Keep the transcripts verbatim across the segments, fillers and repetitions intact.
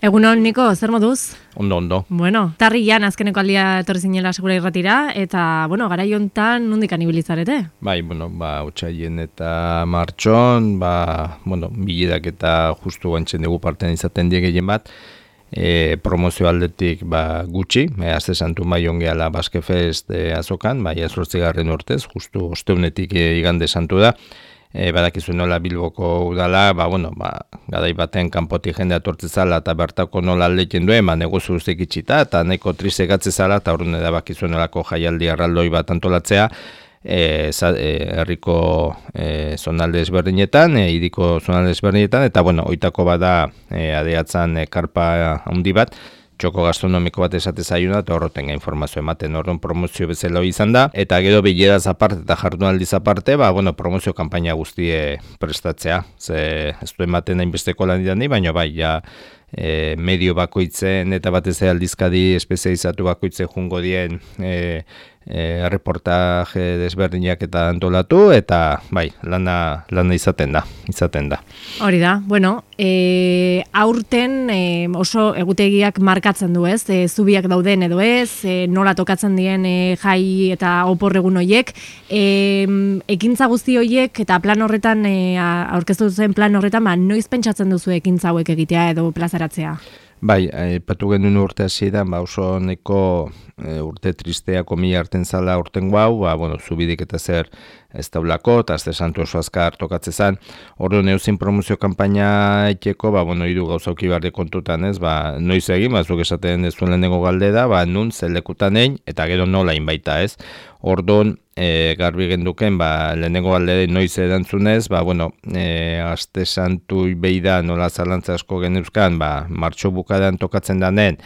Egunon, Niko, zer moduz? Ondo, ondo. Bueno, tarrian azkeneko aldia etorri zinela segura irratira, eta, bueno, garai hontan nondik anibilizarete? Bai, bueno, ba, otsaien eta martxon, ba, bueno, bilerak eta justu guantzen dugu partean izaten die gehien bat, e, promozio aldetik ba, gutxi, e, azte santu maion gehala Basque Fest e, azokan, bai, azortzigarren urtez, justu osteunetik e, igande santu da. E, badakizu nola Bilboko udala, ba, bueno, ba, gadai baten kanpotik jendea tortzezala eta bertako nola aldeken duen, ba, negozu guztiak itxita, eta nahiko triste gatzezala, eta horren edabakizu nolako jaialdi arraldoi bat antolatzea, e, za, e, herriko e, zonalde ezberdinetan, e, hiriko zonalde ezberdinetan, eta, bueno, oitako bada e, adeatzan e, karpa handi bat, txoko gastronomiko bat esate zaiuna, eta horrotenga informazio ematen horren promozio bezala izan da, eta gero bileraz aparte eta jardunaldiz aparte, ba, bueno, promozio kanpaina guztie prestatzea, ze ez du ematen hainbesteko lan didan di, baina bai, ja, e, medio bakoitzen eta batez aldizkadi espezializatu bakoitze jungo dien e, e, reportaje desberdinak eta antolatu, eta bai, lana, lana izaten da, izaten da. Hori da, bueno, e, aurten e, oso egutegiak markatzen du ez, e, zubiak dauden edo ez, e, nola tokatzen dien e, jai eta oporregun hoiek, e, ekintza guzti hoiek eta plan horretan, e, aurkeztu zen plan horretan, ba, noiz pentsatzen duzu ekintza hauek egitea edo plazaratzea? Bai, aipatu genuen urte hasieran, ba oso neko e, urte tristea komila hartzen zala urten guau, ba, bueno, zubidik eta zer ez daulako, eta azte santu oso azkar tokatze zan. Ordu neuzin promozio kanpaina etxeko, ba, bueno, hiru gauzauki barde kontutan ez, ba, noiz egin, ba, zuk esaten ez duen lehenengo galdera, ba, nun zelekutan egin, eta gero nola baita ez. Orduan, e, garbi genduken, ba, lehenengo galdera noiz erantzunez, ba, bueno, e, azte santu beida nola zalantza asko geneuzkan, ba, martxo bukadan tokatzen danen,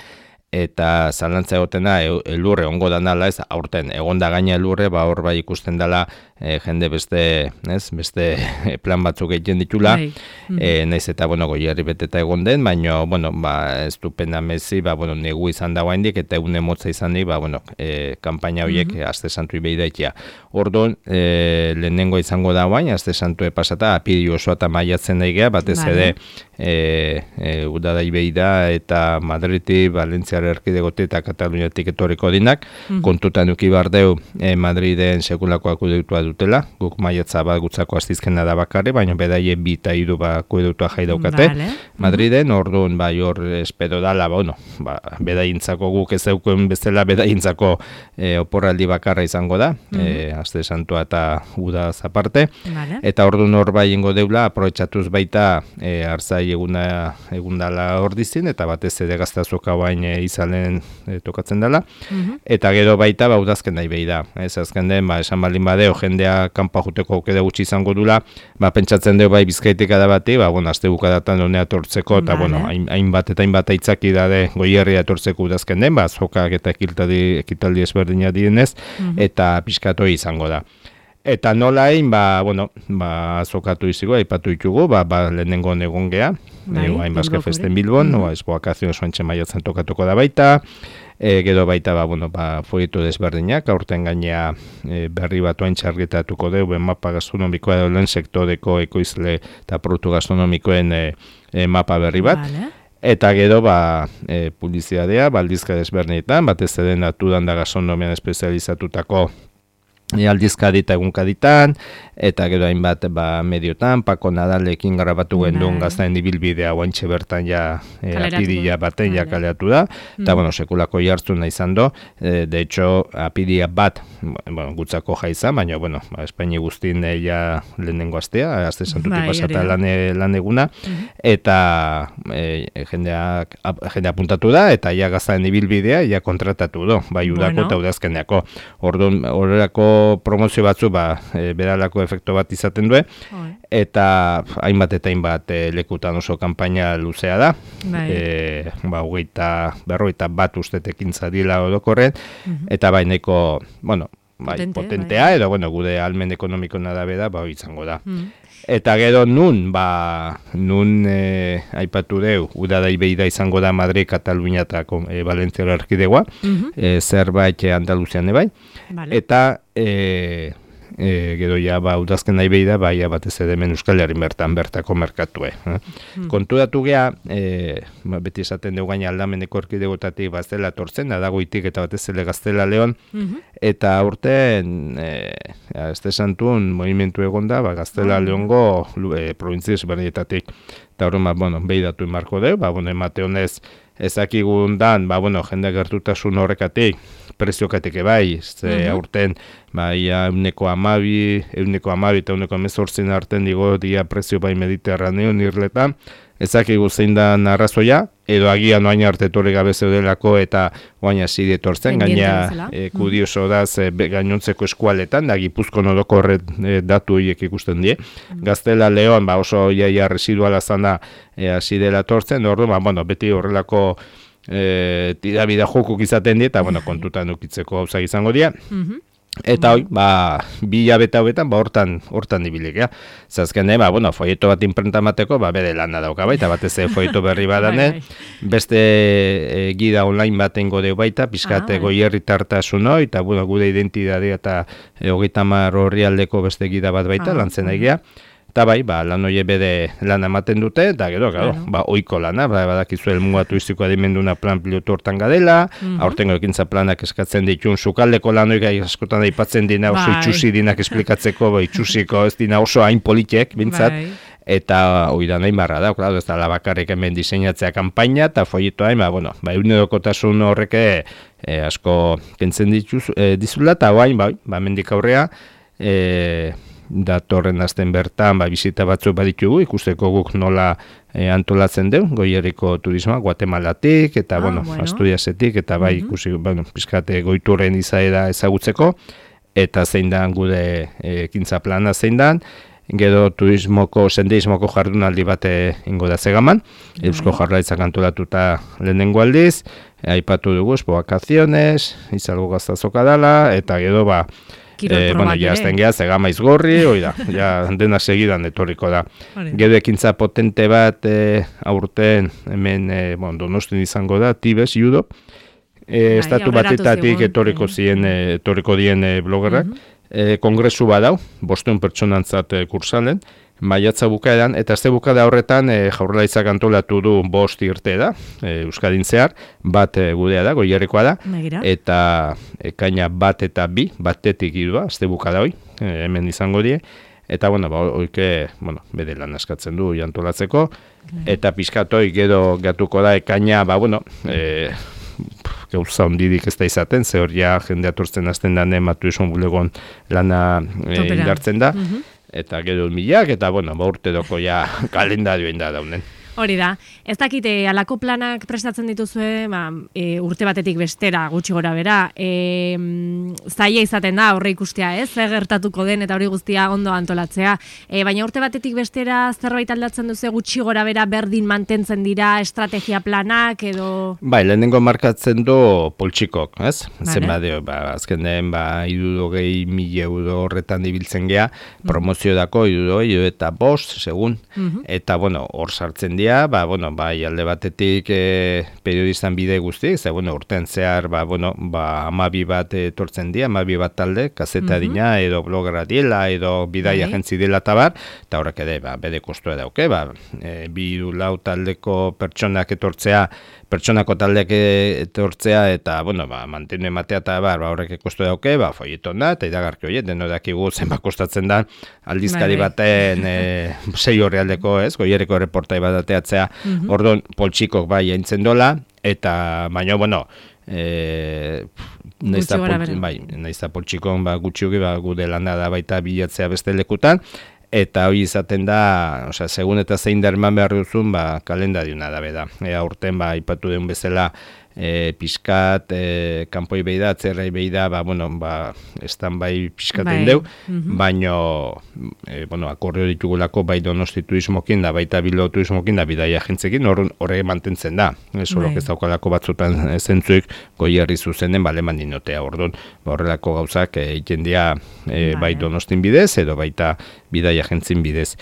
eta zalantza egotena elurre ongo danala, ez, aurten egonda gaina elurre, ba, hor bai ikusten dela e, jende beste, ez, beste plan batzuk egiten ditula, mm-hmm. e, naiz eta, bueno, goierri beteta egon den, baina, bueno, ba, ez du pena mezi, ba, bueno, negu izan dagoa indik, eta egun emotza izan di, ba, bueno, e, kanpaina horiek mm-hmm. azte santu ibeidaetia. Orduan, e, lehenengo izango da baina, azte santu epasata, apiri osoa eta maiatzen daigea, batez vale. ere, e, e, udada ibeida eta Madriti, Valentzia erkidegote eta Kataluniatik etorriko dinak, mm-hmm. kontutan duki bardeu e, Madriden sekulako akudutua dutela, guk maiatza bat gutzako astizkena da bakarri, baina bedaie bi eta hiru ba akudutua jai daukate, vale. Madriden, mm-hmm. orduan bai hor espero dala, ba, bueno, ba, bedaientzako guk ez daukuen bezala bedaientzako e, oporraldi bakarra izango da, mm-hmm. e, aste santua eta uda zaparte, vale. Eta orduan hor bai ingo deula, aprobetxatuz baita e, arzai eguna egundala hor dizin, eta batez ere gaztazoka bain e, izalen e, tokatzen dela, mm-hmm. eta gero baita ba udazken nahi behi da, ez azken den, ba, esan baldin badeo, jendea kanpa juteko aukera gutxi izango dula, ba, pentsatzen dugu bai bizkaitik adabati, ba, bueno, azte bukadatan honea tortzeko, eta, vale. bueno, hainbat eta hainbat aitzaki dade goierria tortzeko udazken den, ba, zokak eta ekitaldi, ekitaldi ezberdina dienez, mm-hmm. eta pixkatoi izango da. Eta nola egin, ba, bueno, ba, zokatu iziko, aipatu ditugu, ba, ba lehenengo egon gea, bai, e, hain Basque Festen Bilbon, mm-hmm. no, espo akazio soantxe maiatzen tokatuko da baita, e, gero baita, ba, bueno, ba, folieto desberdinak, aurten gainea e, berri bat oain txargetatuko dugu, mapa gastronomikoa edo lehen sektoreko ekoizle eta produktu gastronomikoen e, e, mapa berri bat. Vale. Eta gero, ba, e, publizitatea, baldizka desberdinetan, batez ere naturan da gastronomian espezializatutako E, aldizkadi eta egunkaditan, eta gero hainbat ba, mediotan, Pako Nadalekin grabatu gendun gaztaen ibilbidea oantxe bertan ja e, apidia baten ja kaleatu da, eta mm. bueno, sekulako jartzen nahi izan do, e, de hecho, apidia bat, bueno, gutzako jaizan, baina, bueno, ba, Espaini guztin e, ja lehenengo astea, azte santutik pasata lan, lan eguna, mm-hmm. eta e, jendeak, jendea apuntatu da, eta ja gaztaen ibilbidea ja kontratatu do, bai udako bueno. eta udazkeneako. Orduan, horrelako promozio batzu ba, e, beralako efektu bat izaten du, eta hainbat eta hainbat e, lekutan oso kanpaina luzea da, e, ba, hogeita, berrogeita bat ustetekin zadila odokorren, mm-hmm. eta baineko, bueno, bai, Potente, potentea, bai. edo, bueno, gude almen ekonomiko nadabe da, ba, izango da. Mm. Eta gero nun, ba, nun e, aipatu deu, udada ibeida izango da Madrid, Katalunia eta e, Valentzia erkidegoa, mm-hmm. e, zerbait Andaluzian ebai, vale. eta e, e, gero ja, ba, udazken nahi behi da, ba, ja, batez ere hemen Euskal Herri bertan bertako merkatue. Eh? Mm. Konturatu geha, e, ba, beti esaten dugu gaina aldameneko erkidegotatik bazela tortzen, da dagoitik eta batez ere Gaztela Leon, mm-hmm. eta urten, e, este santun, movimentu egon da, ba, Gaztela mm. Leongo e, provintzia ezberdinetatik. Eta horren, ba, bueno, behi datu inmarko deu, ba, bueno, emate honez, ezakigundan, ba, bueno, jende gertutasun horrekatik, preziokatik ebai, ze uh-huh. aurten, ba, ia euneko amabi, euneko amabi eta euneko emezortzin arten digo dia prezio bai Mediterraneo nirletan, ezakigu zein da arrazoia, edo agian oain arte torri gabe zeudelako eta oain hasi etortzen, gaina e, kudioso da ze gainontzeko eskualetan, da Gipuzkoan odoko horret e, datu horiek ikusten die. Mm. Gaztela Leon, ba, oso iaia residuala zana hasi e, dela tortzen, ordu, ba, bueno, beti horrelako e, tirabida jokuk izaten die, eta bueno, kontutan ukitzeko gauzak izango dira. Mm-hmm. Eta hoi, ba, bi hilabete hauetan, ba, hortan, hortan dibilik, ja. Zazken, ba, bueno, folieto bat imprenta mateko, ba, bere lana dauka baita, batez folieto berri badane, beste e, gida online baten godeu baita, pizkate ah, goierri tartasun hoi, eta, bueno, gude identidadea eta e, hogeita hamar horri aldeko beste gida bat baita, ah, lantzen egia. Eta bai, ba, lan hori bede lan ematen dute, eta gero, gero, claro. ba, oiko lana, ba, badakizu helmuga turistiko adimenduna plan pilotu hortan gadela, mm-hmm. aurtengo ekintza planak eskatzen ditun, sukaldeko lan hori askotan aipatzen dina oso bai. Itxusi dinak esplikatzeko, ba, itxusiko ez dina oso hain politek, bintzat, bai. Eta hori da nahi barra da, claro, ez da labakarrik hemen diseinatzea kanpaina, eta folieto hain, ba, bueno, ba, egunerokotasun horreke e, asko kentzen dituz, e, dizula, eta hain, ba, ba, mendik aurrea, e, datorren azten bertan, ba, bizita batzuk baditugu, ikusteko guk nola e, antolatzen deu, Goierriko turismoa, Guatemalatik, eta, ah, bueno, bueno, Asturiasetik, eta bai, mm-hmm. ikusi, bueno, pizkate goiturren izaera ezagutzeko, eta zein dan gude ekintza plana zein dan, gero turismoko, sendeismoko jardunaldi bate ingo da zegaman, mm-hmm. Eusko Jaurlaritzak antolatuta lehenengo aldiz, aipatu dugu, espo vakaziones, izalgo gaztazoka dala, eta gero, ba, Eh, bueno, ya azten geha, zegama izgorri, oida, ja, dena segidan etorriko da. Gero ekintza potente bat e, aurten, hemen, e, bueno, Donostin izango da, Tibes, judo, e, estatu batetatik etorriko zien, e, etorriko dien e, blogerrak, uh-huh. e, kongresu badau, bosteun pertsonantzat e, kursalen, maiatza bukaeran, eta azte bukada horretan e, Jaurlaritzak antolatu du bost irte da, e, Euskadin zehar, bat e, gudea da, Goierrikoa da, Megira. Eta ekaina bat eta bi, batetik idua, azte bukada hoi, e, hemen izango die, eta, bueno, ba, oike, bueno, bede lan askatzen du jantolatzeko, Megira. Eta pizkatoi gero gatuko da ekaina, ba, bueno, e, gauza ondidik ez da izaten, ze hor ja jende aturtzen azten dane, matuizun bulegon lana e, indartzen da, mm-hmm. Eta gero milak, eta, bueno, ba urte doko ja kalendarioen da daunen. Hori da, ez dakite, alako planak prestatzen dituzue, ba, e, urte batetik bestera, gutxi gora bera, e, zaila izaten da, horre ikustea, ez, zer gertatuko den, eta hori guztia ondo antolatzea. E, baina urte batetik bestera, zerbait aldatzen duzu gutxi gora bera, berdin mantentzen dira estrategia planak, edo... Bai, lehenengo markatzen du poltsikok, ez? Vale. Zenba dio, ba, azken den, ba, irurogei mila euro horretan ibiltzen gea, promozio dako, irurogei eta bost, segun, uh-huh. Eta, bueno, hor sartzen dira, ba, bueno, bai, alde batetik e, periodistan bide guzti, ze, bueno, urten zehar, ba, bueno, ba, amabi bat etortzen dira, amabi bat talde, kazeta mm-hmm. dina, edo blogera diela, edo bidai okay. agentzi dela tabar, eta horrek ere, ba, bede kostua dauke, ba, e, bi lau taldeko pertsonak etortzea, pertsonako taldeak etortzea, eta, bueno, ba, mantenu ematea eta bar, ba, horrek kostu dauke, ba, folieton da, eta idagarki horiet, deno dakigu zenba kostatzen da, aldizkari baten e, sei horri aldeko, ez, Goierriko reportai bat ateatzea, mm-hmm. Ordon, poltsikok bai aintzen dola, eta, baina, bueno, e, naizta poltsikon, bai, naizta poltsikon, ba, gutxiugi, ba, gude lana da baita bilatzea beste lekutan, eta hori izaten da, osea, segun eta zein da eman behar duzun, ba, kalendariuna da beda. Ea urten, ba, ipatu den bezala, e, pixkat, e, kanpoi behi da, atzerrai behi da, ba, bueno, ba, estan bai pixkaten bai. Deu, mm-hmm. baino, e, bueno, akordio ditugulako bai Donosti turismokin da, baita Bilbao turismokin da, bidaia agentzekin, horre mantentzen da. Eso bai. Ez daukalako batzutan zentzuik Goierri zuzenen, bale mandinotea, orduan, ba, horrelako gauzak egiten dira e, bai. bai Donostin bidez, edo baita bidaia agentzin bidez.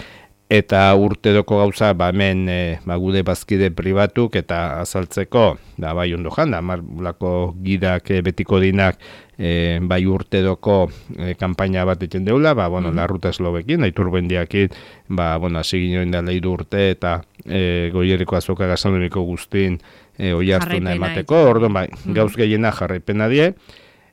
eta urtedoko gauza, ba, hemen e, ba, gude bazkide pribatuk eta azaltzeko, da, bai ondo jan, da, marlako gidak e, betiko dinak, e, bai urtedoko e, kampaina bat egiten deula, ba, bueno, mm-hmm. larruta eslobekin, aiturbendiakin, ba, bueno, hasi ginoen da leidu urte, eta e, goierriko azoka gastronomiko guztin e, oi hartuna emateko, orduan, bai, mm-hmm. gauz gehiena jarraipena die,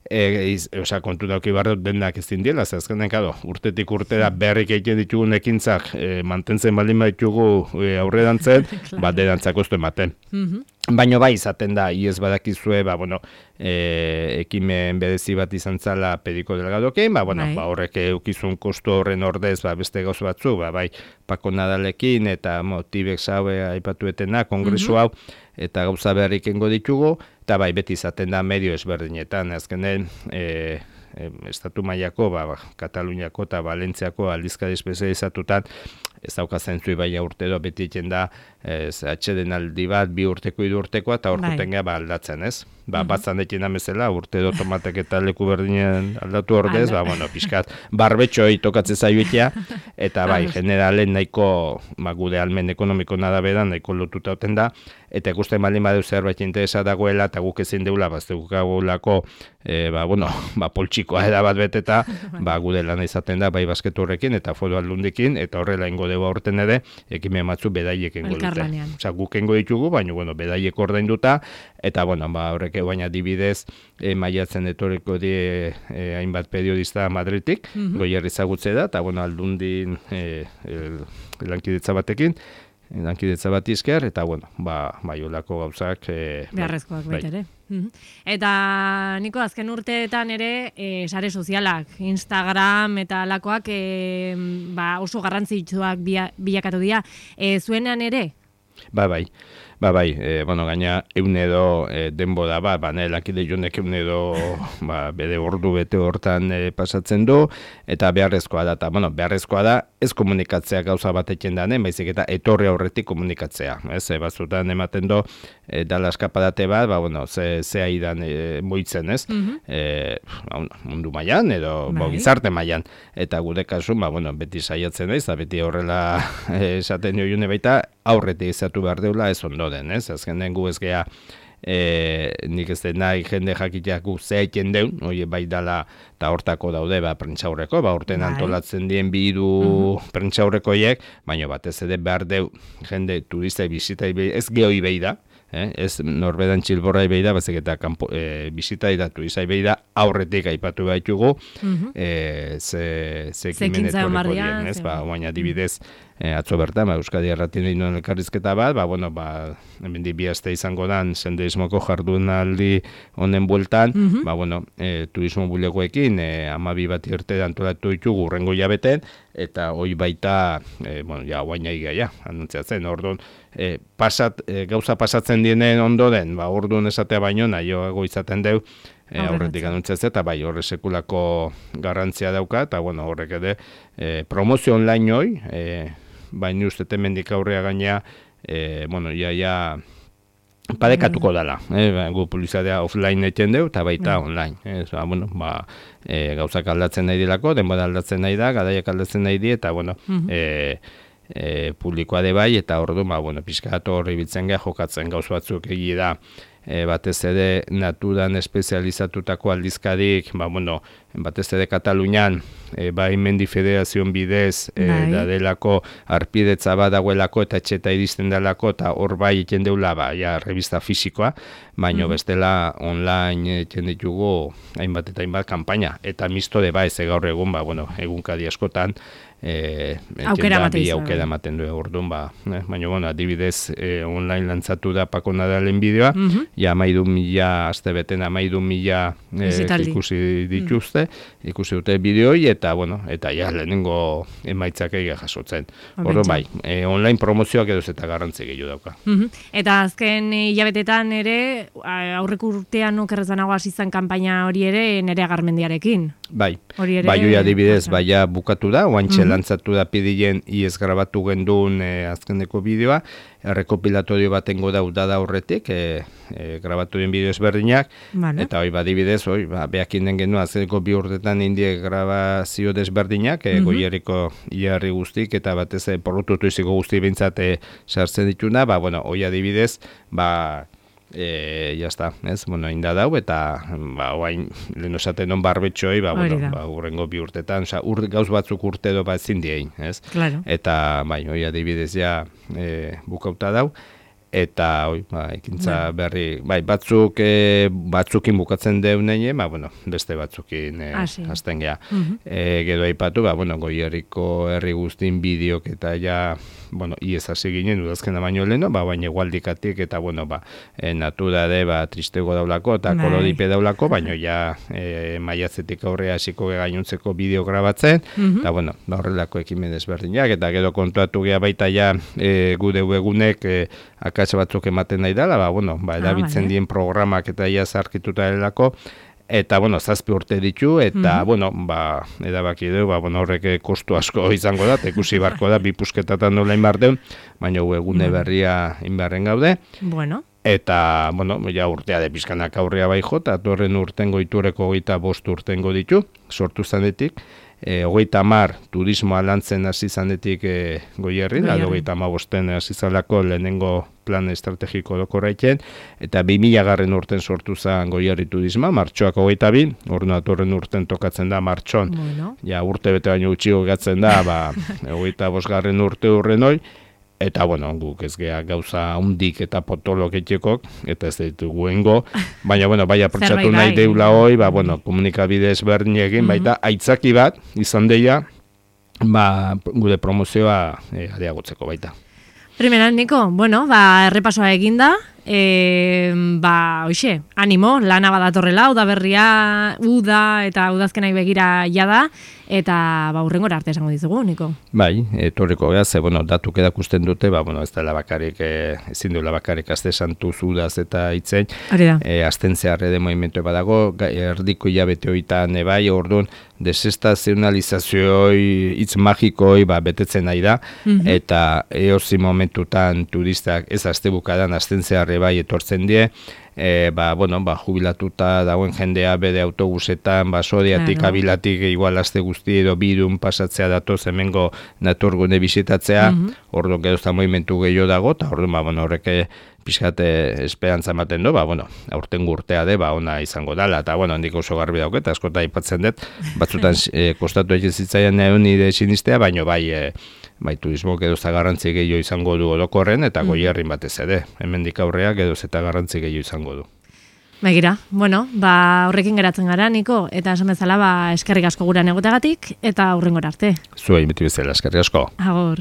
E, iz, oza, kontu dauki barro denak ez dindiela, zazkenen, kado, urtetik urtera berrik egiten ditugun ekintzak e, mantentzen baldin baditugu e, aurre dantzen, claro. Bat dedantzak oztu ematen. Mm-hmm. Baina bai, izaten da, iez badakizue, ba, bueno, e, ekimen berezi bat izan zala pediko delgadokein, ba, bueno, ba, horrek eukizun kostu horren ordez, ba, beste gauz batzu, ba, bai, Pako Nadalekin eta Tibex haue aipatuetena, kongresu hau, mm-hmm. eta gauza beharrik engo ditugu, eta bai, beti izaten da medio ezberdinetan, azkenen, e, e, estatu mailako, ba, ba, Kataluniako eta Valentziako aldizkari espezializatutan, ez dauka zentzui baina urtero beti egiten da ez, atxeden aldi bat, bi urteko, hiru urtekoa, eta hor juten ba, aldatzen, ez? Ba, mm-hmm. batzan ekin amezela, urtero tomatek eta leku berdinen aldatu ordez, ba, bueno, pixkat, barbetxoi tokatze zaiuetia, eta bai, generalen nahiko, ba, gude almen ekonomiko nadabera, nahiko lotuta oten da, eta ikusten baldin badeu zerbait interesa dagoela, eta guk ezin deula, baztegu gagolako, e, ba, bueno, ba, poltsikoa eda bat beteta, ba, gude lan izaten da, bai basketu horrekin, eta foru aldundikin, eta horrela ingo dugu aurten ere, ekimen matzu bedaiek engo dute. Osa, guk engo ditugu, baina, bueno, bedaiek ordainduta, eta, bueno, ba, horrek baina dibidez, e, maiatzen etorriko die e, hainbat periodista Madritik, mm-hmm. goierri zagutze da, eta, bueno, aldundin e, el, lankidetza batekin, lankidetza bat izker, eta, bueno, ba, maiolako gauzak... E, beharrezkoak baita ere. Mm-hmm. Eta, Niko, azken urteetan ere, e, sare sozialak, Instagram eta lakoak e, ba, oso garrantzitsuak bilakatu dira. E, zuenean ere? Ba, bai. Ba, bai, e, bueno, gaina eunedo e, denbo da, ba, ba, nahi lakide jonek eunedo ba, bede ordu bete hortan e, pasatzen du, eta beharrezkoa da, eta, bueno, beharrezkoa da, ez komunikatzea gauza bat eken danen, baizik eta etorri aurretik komunikatzea, ez, e, batzutan ematen do, e, dala eskapadate bat, ba, bueno, ze, ze aidan e, moitzen, ez, mm-hmm. e, mundu mailan edo, ba, gizarte mailan, eta gure kasun, ba, bueno, beti saiatzen naiz, eta beti horrela esaten joiune baita, aurretik izatu behar deula, ez ondo den, ez? Azken den gu ez geha, e, nik ez den nahi jende jakiteak gu zehaiten deun, oie bai dala, eta hortako daude, ba, prentxaurreko, ba, urten bai. Antolatzen dien bidu uh-huh. prentxaurrekoiek, baina batez ere behar deu jende turista bizita, ez geoi behi da, eh? Ez norbedan txilborra behi da, bazik eta kanpo, e, bizita da turista behi da, aurretik aipatu baitugu, uh-huh. e, ze, ze ekimen etorriko dien, ez? Ba, baina dibidez, E, atzo bertan, ba, Euskadi Erratien egin duen elkarrizketa bat, ba, bueno, ba, hemen di bi aste izango dan, senderismoko jardunaldi honen bueltan, mm-hmm. ba, bueno, e, turismo bulegoekin, e, amabi bat irte antolatu ditugu urrengo jabeten, eta hoi baita, e, bueno, ja, guaina igaia, anuntziatzen, orduan, e, pasat, e, gauza pasatzen dienen ondoren, ba, orduan esatea baino, nahioago izaten deu, E, aurretik anuntzatzea, eta bai, horre sekulako garrantzia dauka, eta bueno, horrek ere, e, promozio online hoi, e, baina uste temendik aurrea gainea, e, bueno, ia, ia, padekatuko dala, e, gu publizadea offline eten deu, eta baita online, e, ba, bueno, ba, e, gauzak aldatzen nahi dilako, denbora aldatzen nahi da, gadaiak aldatzen nahi di, eta bueno, mm-hmm. e, E, publikoa de bai, eta ordu, ba, bueno, pixkatu horri bitzen geha, jokatzen gauz batzuk egi da, e, batez ere naturan espezializatutako aldizkadik, ba, bueno, batez ere Katalunian, e, ba, Mendi Federazion bidez, e, da delako arpidetza bat dagoelako, eta etxeta iristen delako, eta hor bai eken deula, ba, ja, revista fisikoa, baino mm-hmm. bestela online eken ditugu hainbat eta hainbat kanpaina, eta mistore ba, ez gaur egun, ba, bueno, egunkadi askotan, E, aukera ematen bi aukera ematen du orduan, ba, eh, baina bueno, adibidez e, online lantzatu da Pako Nadalen bideoa, mm-hmm. ja amairu mila aste beten amairu mila e, ikusi dituzte, mm. ikusi dute bideoi, eta bueno, eta ja lehenengo emaitzak egia jasotzen. Orduan bai, e, online promozioak edo eta garrantzi gehiago dauka. Mm-hmm. Eta azken hilabetetan ere, aurreko urtean okerrezanago hasi zen kanpaina hori ere Nerea Garmendiarekin. Bai, bai hori adibidez, baia bukatu da, oantxe mm-hmm. lantzatu da pidilen iez grabatu gendun e, azkeneko bideoa, errekopilatorio batengo da udada horretik, e, e, e, grabatu den bideo ezberdinak, Vale. eta hoi badibidez, hoi, ba, behakin den genuen azeko bi urtetan indie grabazio desberdinak, e, Mhm. goierriko hilarri guztik, eta batez e, porrututu iziko guzti bintzate sartzen dituna, ba, bueno, hoi adibidez, ba, E, jazta, ez, bueno, inda dau, eta ba, oain, lehen osaten non barbetxoi, ba, Hori bueno, da. ba, urrengo bi urtetan, oza, ur, gauz batzuk urte edo bat ezin diein, ez? Claro. Eta, bai, hoi adibidez ja e, bukauta dau, eta, oi, ba, ekintza berri, bai, batzuk, e, batzukin bukatzen deunein, ba, bueno, beste batzukin e, Ah, sí. hasten geha. Mhm. E, gero aipatu, ba, bueno, Goierriko herri guztin bideok eta ja, bueno, iez hasi ginen udazkena baino leheno, ba, baina egualdikatik eta, bueno, ba, e, natura de, ba, tristego daulako eta Bai. kolodipe daulako, baino ja e, maiatzetik aurrea hasiko gainuntzeko bideo grabatzen, Mhm. eta, bueno, ba, horrelako ekimen ezberdinak, eta gero kontuatu gea baita ja e, gure webunek e, akats batzuk ematen nahi dela, ba, bueno, ba, erabiltzen vale. dien programak eta ja zarkituta delako, eta, bueno, zazpi urte ditu, eta, Mhm. bueno, ba, edabaki du, ba, bueno, horrek eh, kostu asko izango da, eta ikusi barko da, bi pusketatan nola inbar deun, baina egune berria inbarren gaude, Bueno. eta, bueno, ja urtea de pizkanak aurrea bai jo, eta torren urtengo itureko hogeita bost urtengo ditu, sortu zanetik, e, hogeita hamar turismoa lantzen hasi zanetik e, Goierrin, Goierrin. hogeita hamabosten hasi zalako lehenengo plan estrategiko dokorraitzen, eta bi mila garren urten sortu zen Goierri turisma, martxoak hogeita bi, orduan atorren urten tokatzen da martxon, Bueno. ja urte bete baino gutxi gatzen da, ba, hogeita bosgarren urte urren hoi, eta, bueno, guk ez gea gauza hundik eta potolok etxekok, eta ez ditugu engo, baina, bueno, bai aprotxatu Zerbait nahi bai. deula hoi, ba, bueno, komunikabide ezberdin egin, baita, aitzaki bat, izan deia, ba, gure promozioa e, areagotzeko baita. Primeran, Niko, bueno, ba, errepasoa eginda, e, ba, hoxe, animo, lana badatorrela, udaberria, uda eta udazkenai begira jada, eta ba, urrengora arte esango dizugu, Niko. Bai, etorriko gea, ze, bueno, datuk edakusten dute, ba, bueno, ez dela bakarrik, e, ezin duela bakarrik azte santu zudaz eta itzen, Hori da. e, azten zeharre de movimentu badago, ga- erdiko hilabete hoitan ebai, orduan, desestazionalizazioi, hitz magikoi, ba, betetzen nahi da, Mhm. eta eozi momentutan turistak ez azte bukadan, azten zeharre bai etortzen die, e, ba, bueno, ba, jubilatuta dagoen jendea bere autobusetan, ba, sodiatik, Claro. abilatik, igual azte guzti edo bidun pasatzea datoz hemengo naturgune bisitatzea, Mhm. orduan gero eta movimentu gehiago dago, eta orduan, ba, bueno, horrek pixkate esperantza ematen du, ba, bueno, aurten urtea de, ba, ona izango dala, eta, bueno, handik oso garbi dauket, eta askota aipatzen dut, batzutan e, kostatu egin zitzaian egon nire sinistea, baino bai, e, bai, turismo geroz eta garrantzi gehiago izango du orokorren, eta Mm. Goierrin batez ere, hemendik aurrea geroz eta garrantzi gehiago izango du. Begira, bueno, ba, horrekin geratzen gara, Niko, eta esan bezala, ba, eskerrik asko guran egoteagatik, eta aurrengora arte. Zuei beti bezala, eskerrik asko. Agor.